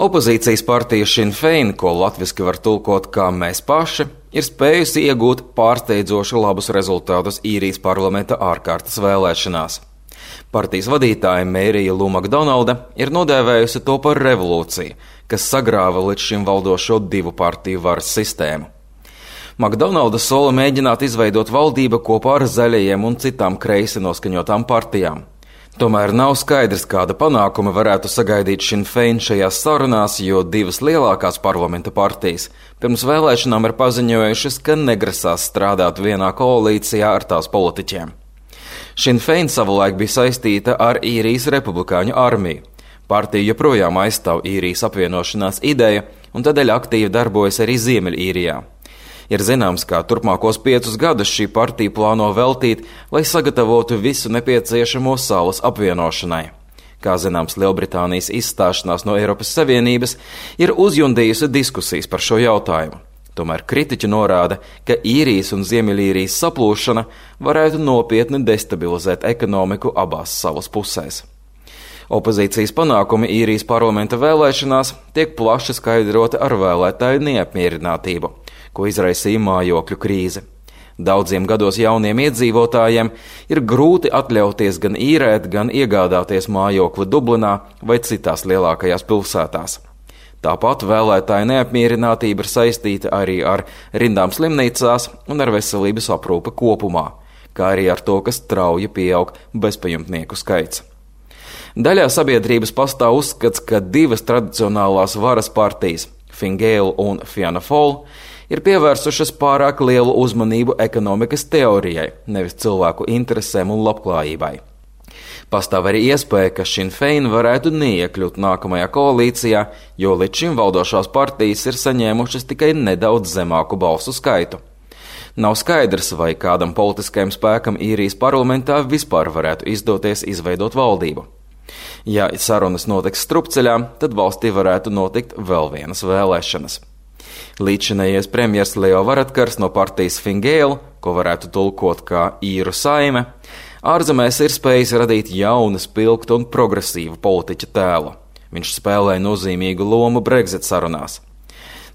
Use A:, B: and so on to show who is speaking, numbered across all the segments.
A: Opozīcijas partija Sinn Fein, ko latviski var tulkot kā mēs paši, ir spējusi iegūt pārsteidzoši labus rezultātus īrijas parlamenta ārkārtas vēlēšanās. Partijas vadītāja Mērija Lū Makdonalda ir nodēvējusi to par revolūciju, kas sagrāva līdz šim valdošo divu partiju varas sistēmu. Makdonalda sola mēģināt izveidot valdību kopā ar zaļajiem un citām kreisi noskaņotām partijām. Tomēr nav skaidrs, kāda panākuma varētu sagaidīt Sinn Fein šajās sarunās, jo divas lielākās parlamenta partijas pirms vēlēšanām ir paziņojušas, ka negrasās strādāt vienā koalīcijā ar tās politiķiem. Sinn Fein savulaik bija saistīta ar īrijas republikāņu armiju. Partija joprojām aizstāv īrijas apvienošanās ideju un tādēļ aktīvi darbojas arī Ziemeļīrijā. Ir zināms, ka turpmākos 5 gadus šī partija plāno veltīt, lai sagatavotu visu nepieciešamo salas apvienošanai. Kā zināms, Lielbritānijas izstāšanās no Eiropas Savienības ir uzjundījusi diskusijas par šo jautājumu. Tomēr kritiķi norāda, ka īrijas un Ziemeļīrijas saplūšana varētu nopietni destabilizēt ekonomiku abās salas pusēs. Opozīcijas panākumi īrijas parlamenta vēlēšanās tiek plaši skaidroti ar vēlētāju neapmierinātību, ko izraisīja mājokļu krīze. Daudziem gados jauniem iedzīvotājiem ir grūti atļauties gan īrēt, gan iegādāties mājokli Dublinā vai citās lielākajās pilsētās. Tāpat vēlētāju neapmierinātība ir saistīta arī ar rindām slimnīcās un ar veselības aprūpi kopumā, kā arī ar to, ka strauji pieaug bezpajumtnieku skaits. Daļā sabiedrības pastāv uzskats, ka divas tradicionālās varas partijas, Fine Gael un Fianna Fáil, ir pievērsušas pārāk lielu uzmanību ekonomikas teorijai, nevis cilvēku interesēm un labklājībai. Pastāv arī iespēja, ka Sinn Fein varētu neiekļūt nākamajā koalīcijā, jo līdz šim valdošās partijas ir saņēmušas tikai nedaudz zemāku balsu skaitu. Nav skaidrs, vai kādam politiskajam spēkam īrijas parlamentā vispār varētu izdoties izveidot valdību. Ja sarunas notiks strupceļā, tad valstī varētu notikt vēl vienas vēlēšanas. Līdzinējais premjers Leo Varadkars no partijas Fine Gael, ko varētu tulkot kā īru saime, ārzemēs ir spējis radīt jaunu, spilgtu un progresīvu politiķa tēlu. Viņš spēlē nozīmīgu lomu Brexit sarunās.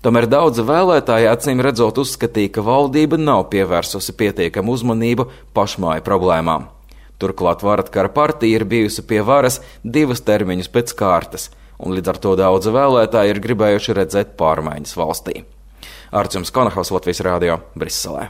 A: Tomēr daudzi vēlētāji acīm redzot uzskatīja, ka valdība nav pievērsusi pietiekamu uzmanību pašmāju problēmām. Turklāt Varadkara partija ir bijusi pie varas 2 termiņus pēc kārtas, un līdz ar to daudzi vēlētāji ir gribējuši redzēt pārmaiņas valstī. Arčuns Konahaus, Latvijas Rādio, Briselē.